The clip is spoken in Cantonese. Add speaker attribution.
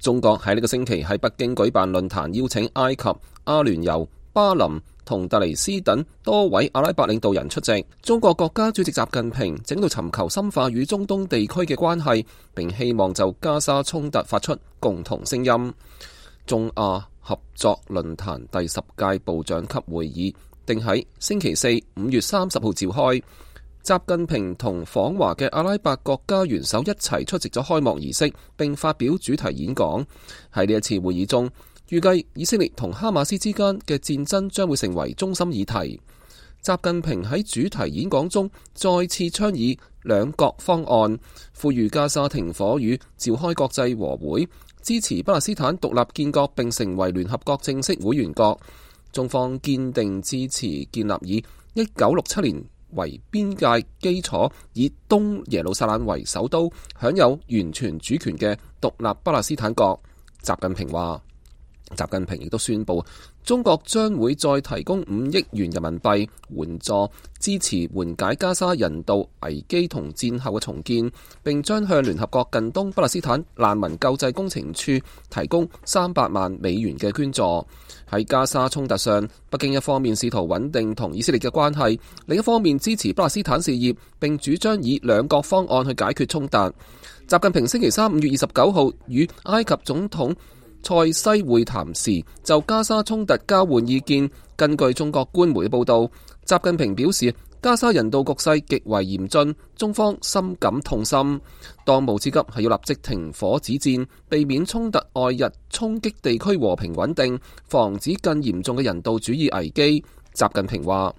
Speaker 1: 中國喺呢個星期喺北京舉辦論壇，邀請埃及、阿聯酋、巴林同突尼斯等多位阿拉伯領導人出席。中國國家主席習近平正喺度尋求深化與中東地區嘅關係，並希望就加沙衝突發出共同聲音。中阿合作論壇第10屆部長級會議定喺星期四5月30號召開。習近平同訪華嘅阿拉伯國家元首一齊出席咗開幕儀式，並發表主題演講。喺呢一次會議中，預計以色列同哈馬斯之間嘅戰爭將會成為中心議題。習近平喺主題演講中再次倡議兩國方案，呼籲加沙停火與召開國際和會，支持巴勒斯坦獨立建國並成為聯合國正式會員國。中方堅定支持建立以1967年為邊界基礎，以東耶路撒冷為首都，享有完全主權嘅獨立巴勒斯坦國。習近平亦都宣布，中國將會再提供5億元人民幣援助，支持緩解加沙人道危機同戰後嘅重建，並將向聯合國近東巴勒斯坦難民救濟工程處提供300萬美元嘅捐助。喺加沙衝突上，北京一方面試圖穩定同以色列嘅關係，另一方面支持巴勒斯坦事業，並主張以兩國方案去解決衝突。習近平星期三5月29號與埃及總統塞西會談時，就加沙衝突交換意見。根據中國官媒嘅報道，習近平表示，加沙人道局勢極為嚴峻，中方深感痛心。當務之急係要立即停火止戰，避免衝突外溢衝擊地區和平穩定，防止更嚴重嘅人道主義危機。習近平話，